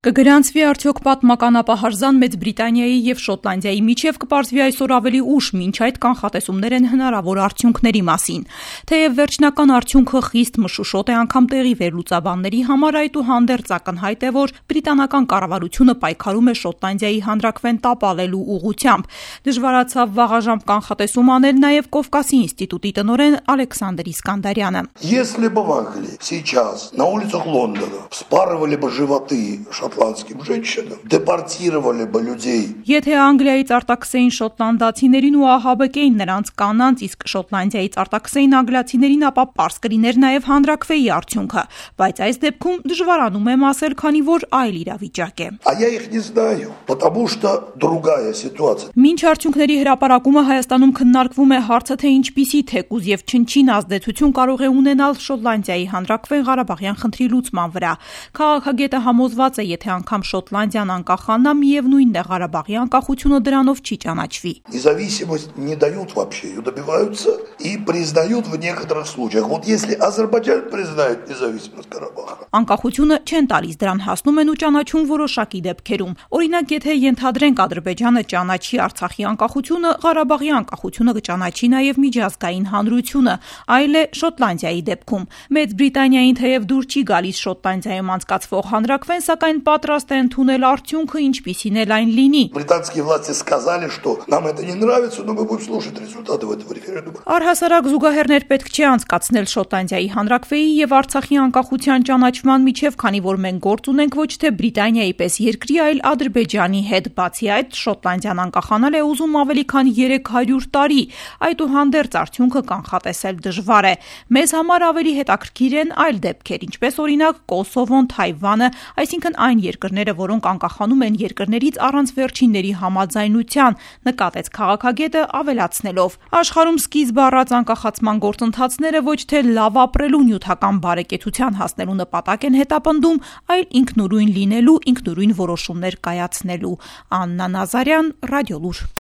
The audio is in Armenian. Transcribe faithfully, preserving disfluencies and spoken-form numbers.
Կգրանցվի արդյոք պատմականապահարզան Մեծ Բրիտանիայի և Շոտլանդիայի միջև, կպարզվի այսօր ավելի ուշ, մինչ այդ կանխատեսումներ են հնարավոր արդյունքների մասին։ Թեև վերջնական արդյունքը խիստ մշուշոտ է անգամ տեղի վերլուծաբանների համար, այդուհանդերձ ակնհայտ է, որ բրիտանական կառավարությունը պայքարում է Շոտլանդիայի հանրաքվեն տապալելու ուղղությամբ։ Դժվարացավ վաղաժամ կանխատեսում անել նաև Կովկասի ինստիտուտի տնօրեն Ալեքսանդր Իսկանդարյանը։ Если бы в Англии сейчас на улицах Лондона вспарывали бы животы шотландским женщинам, депортировали бы людей. Եթե Անգլիայից արտաքսեին շոտլանդացիներին ու ահաբեկեին նրանց կանանց, իսկ Շոտլանդիայից արտաքսեին անգլիացիներին, ապա պարզ կլիներ նաև հանրաքվեի արդյունքը, բայց այս դեպքում դժվարանում եմ ասել, քանի որ այլ իրավիճակ է։ А я их не знаю, потому что другая ситуация. Մինչ արդյունքների հրապարակումը Հայաստանում քննարկվում է հարցը, թե ինչպիսի թեկուզ եւ չնչին ազդեցություն կարող է ունենալ Շոտլանդիայի հանրաքվեն Ղարաբաղյան խնդրի լուծման վրա։ Քաղաքագետը համոզված է, եթե անգամ Շոտլանդիան անկախանա, միևնույնն է Ղարաբաղի անկախությունը դրանով չի ճանաչվի։ Независимость не дают вообще, ее добиваются и признают в некоторых случаях. Вот если Азербайджан признает независимость Карабаха. Անկախությունը չեն տալիս, դրան հասնում են ու ճանաչում որոշակի դեպքերում։ Օրինակ, եթե ենթադրենք Ադրբեջանը ճանաչի Արցախի անկախությունը, Ղարաբաղի անկախությունը կճանաչի նաև միջազգային հանրությունը, այլ է Շոտլանդիայի դեպքում։ Մեծ Բրիտանիային թեև դուր չի գալիս Շոտլանդիայում անցկացվող հանրաքվեն, սակայն պատրաստ է ընդունել արդյունքը, ինչպիսին էլ այն լինի։ Британские власти сказали, что нам это не нравится, но мы будем слушать результаты этого референдума. Առհասարակ զուգահեռներ պետք չի անցկացնել Շոտլանդիայի հանրաքվեի եւ Արցախի անկախության ճանաչման միջև, քանի որ մենք գործ ունենք ոչ թե Բրիտանիայի պես երկրի, այլ Ադրբեջանի հետ։ Բացի այդ, Շոտլանդիան անկախանալ է ուզում ավելի քան երեք հարյուր տարի, այդուհանդերձ արդյունքը կանխատեսել դժվար է։ Մեզ համար ավելի հետաքրքիր են այլ դեպքեր, ինչպես օրինակ Կոսովոն, Թայվանը, այսինքն այն երկրները, որոնք անկախանում են երկրներից առանց վերջինների համաձայնության, նկատեց քաղաքագետը ավելացնելով. Աշխարհում սկիզբ առած անկախացման գործընթացները ոչ թե լավ ապրելու նյութական բարեկեցության հասնելու նպատակ են հետապնդում, այլ ինքնուրույն լինելու, ինքնուրույն որոշումներ կայացնելու։ Աննա Նազարյան, Ռադիոլուր։